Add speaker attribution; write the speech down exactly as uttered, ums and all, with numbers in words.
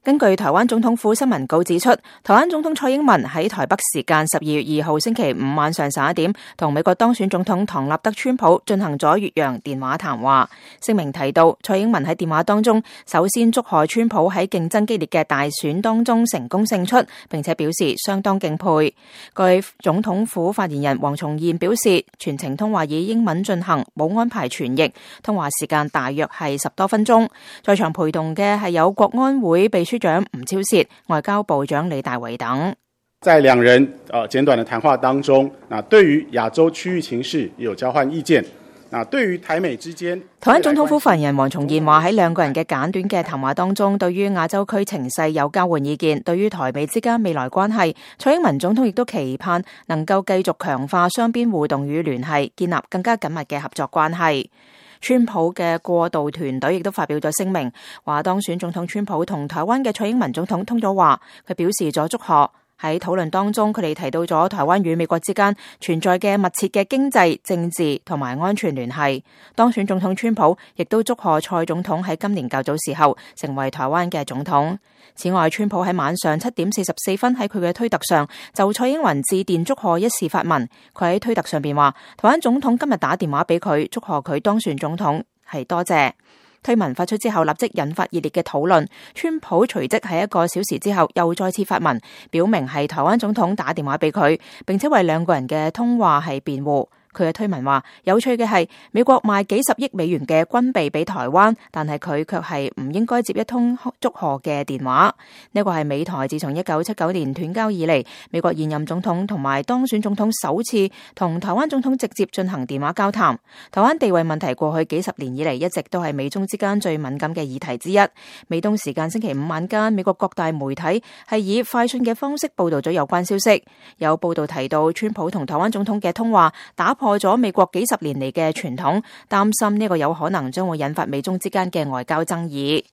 Speaker 1: 根據台灣總統府新聞稿指出，台灣總統蔡英文喺台北時間十二月二號星期五晚上十一點，同美國當選總統唐納德川普進行咗越洋電話談話。聲明提到，蔡英文喺電話當中首先祝賀川普喺競爭激烈嘅大選當中成功勝出，並且表示相當敬佩。據總統府發言人黃重彥表示，全程通話以英文進行，冇安排傳譯，通話時間大約係十多分鐘。在場陪同嘅係有國安會秘書長吳釗燮、外交部長李大維等。
Speaker 2: 在兩人呃簡短的談話當中，那對於亞洲區域情勢有交換意見。那對於台美之間，
Speaker 1: 台灣總統府發言人黃重彥話喺兩個人嘅簡短嘅談話當中，對於亞洲區情勢有交換意見，對於台美之間未來關係，蔡英文總統亦都期盼能夠繼續強化雙邊互動與聯繫，建立更加緊密嘅合作關係。川普嘅過渡團隊亦都發表咗聲明，話當選總統川普同台灣嘅蔡英文總統通咗話，佢表示咗祝賀。喺討論當中，佢哋提到咗台灣與美國之間存在嘅密切嘅經濟、政治同埋安全聯繫。當選總統川普亦都祝賀蔡總統喺今年較早時候成為台灣嘅總統。此外，川普喺晚上七點四十四分喺佢嘅推特上就蔡英文致電祝賀一事發文。佢喺推特上邊話，台灣總統今日打電話俾佢，祝賀佢當選總統，係多謝。推文發出之後，立即引發熱烈嘅討論。川普隨即喺一個小時之後又再次發文，表明係台灣總統打電話俾佢，並且為兩個人嘅通話係辯護。佢嘅推文話，有趣嘅係美國賣幾十億美元嘅軍備俾台灣，但係佢卻係唔應該接一通祝賀嘅電話。呢個係美台自從一九七九年斷交以嚟，美國現任總統同埋當選總統首次同台灣總統直接進行電話交談。台灣地位問題過去幾十年以嚟一直都係美中之間最敏感嘅議題之一。美東時間星期五晚間，美國各大媒體係以快訊嘅方式報道咗有關消息。有報道提到，川普同台灣總統嘅通話打破咗美國幾十年嚟嘅傳統，擔心呢個有可能將會引發美中之間嘅外交爭議。